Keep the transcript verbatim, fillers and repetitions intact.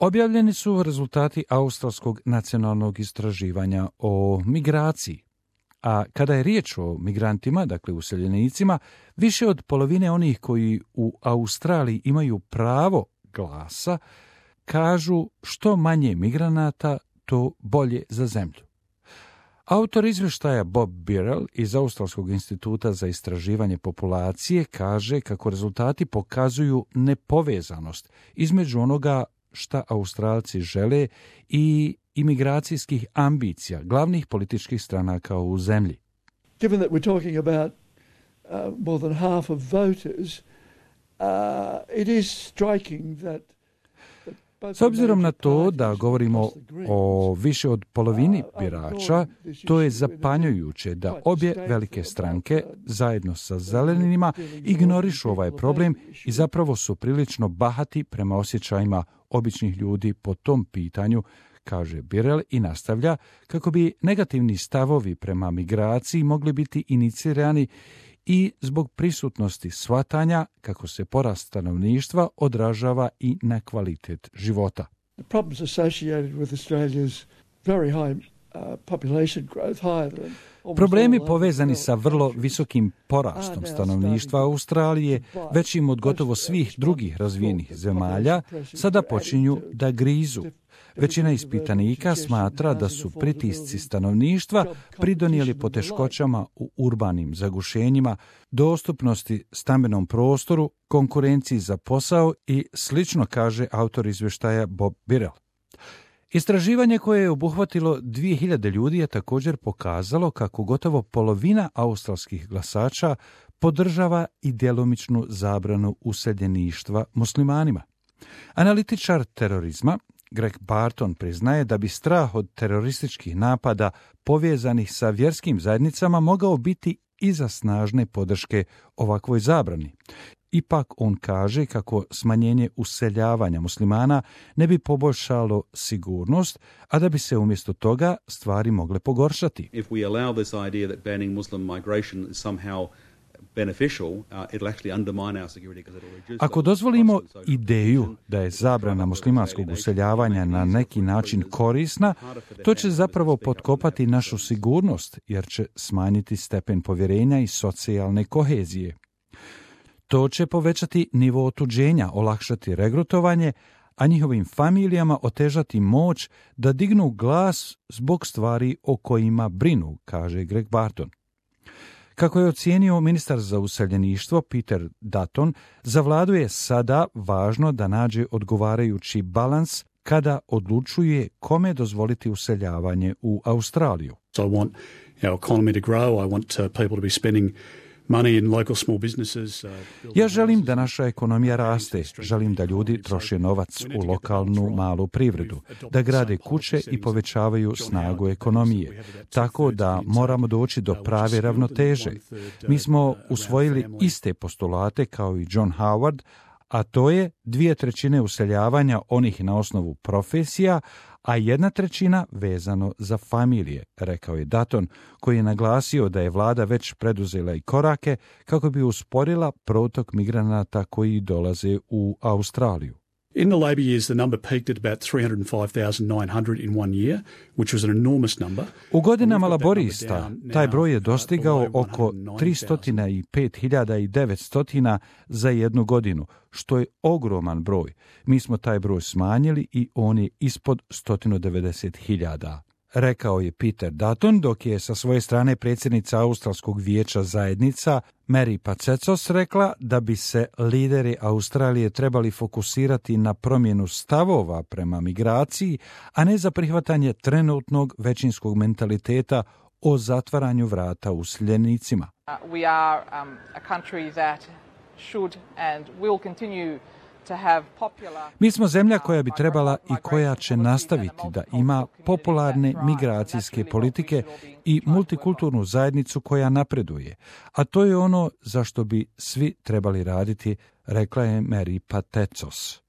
Objavljeni su rezultati australskog nacionalnog istraživanja o migraciji. A kada je riječ o migrantima, dakle useljenicima, više od polovine onih koji u Australiji imaju pravo glasa, kažu što manje migranata, to bolje za zemlju. Autor izvještaja Bob Birrell iz Australskog instituta za istraživanje populacije kaže kako rezultati pokazuju nepovezanost između onoga šta Australci žele i imigracijskih ambicija glavnih političkih stranaka u zemlji. Given that we're talking about uh, more than half of voters, uh, it is striking that S obzirom na to da govorimo o više od polovini birača, to je zapanjujuće da obje velike stranke zajedno sa zelenima ignorišu ovaj problem i zapravo su prilično bahati prema osjećajima običnih ljudi po tom pitanju, kaže Birrell i nastavlja kako bi negativni stavovi prema migraciji mogli biti inicirani i zbog prisutnosti shvatanja kako se porast stanovništva odražava i na kvalitet života. The problems associated with Australia's very high uh, population growth, higher than Problemi povezani sa vrlo visokim porastom stanovništva Australije, većim od gotovo svih drugih razvijenih zemalja, sada počinju da grizu. Većina ispitanika smatra da su pritisci stanovništva pridonijeli poteškoćama u urbanim zagušenjima, dostupnosti stambenom prostoru, konkurenciji za posao i slično, kaže autor izvještaja Bob Birrell. Istraživanje koje je obuhvatilo dvije hiljade ljudi je također pokazalo kako gotovo polovina australskih glasača podržava i djelomičnu zabranu useljeništva muslimanima. Analitičar terorizma Greg Barton priznaje da bi strah od terorističkih napada povezanih sa vjerskim zajednicama mogao biti iza snažne podrške ovakvoj zabrani. Ipak on kaže kako smanjenje useljavanja muslimana ne bi poboljšalo sigurnost, a da bi se umjesto toga stvari mogle pogoršati. If we allow this idea that banning Muslim migration is somehow beneficial, uh, it'll actually undermine our security because it'll reduce. Ako dozvolimo ideju da je zabrana muslimanskog useljavanja na neki način korisna, to će zapravo potkopati našu sigurnost jer će smanjiti stepen povjerenja i socijalne kohezije. To će povećati nivo otuđenja, olakšati regrutovanje, a njihovim familijama otežati moć da dignu glas zbog stvari o kojima brinu, kaže Greg Barton. Kako je ocijenio ministar za useljeništvo Peter Dutton, za vladu je sada važno da nađe odgovarajući balans kada odlučuje kome dozvoliti useljavanje u Australiju. So I want our economy to grow, I want uh, people to be spending money in local small businesses. Ja želim da naša ekonomija raste, želim da ljudi troše novac u lokalnu malu privredu, da grade kuće i povećavaju snagu ekonomije, tako da moramo doći do prave ravnoteže. Mi smo usvojili iste postulate kao i John Howard, a to je dvije trećine useljavanja onih na osnovu profesija, a jedna trećina vezano za familije, rekao je Dutton, koji je naglasio da je vlada već preduzela i korake kako bi usporila protok migranata koji dolaze u Australiju. In the Labor years, the number peaked at about three hundred five thousand nine hundred in one year, which was an enormous number. U godinama laborista taj broj je dostigao oko tristo pet hiljada devetsto za jednu godinu, što je ogroman broj. Mi smo taj broj smanjili i on je ispod sto devedeset hiljada. Rekao je Peter Dutton, dok je sa svoje strane predsjednica Australskog vijeća zajednica Mary Pacecos rekla da bi se lideri Australije trebali fokusirati na promjenu stavova prema migraciji, a ne za prihvatanje trenutnog većinskog mentaliteta o zatvaranju vrata useljenicima. Uh, we are um, a country that should and will continue to have popular... Mi smo zemlja koja bi trebala i koja će nastaviti da ima popularne migracijske politike i multikulturnu zajednicu koja napreduje, a to je ono za što bi svi trebali raditi, rekla je Mary Pacecos.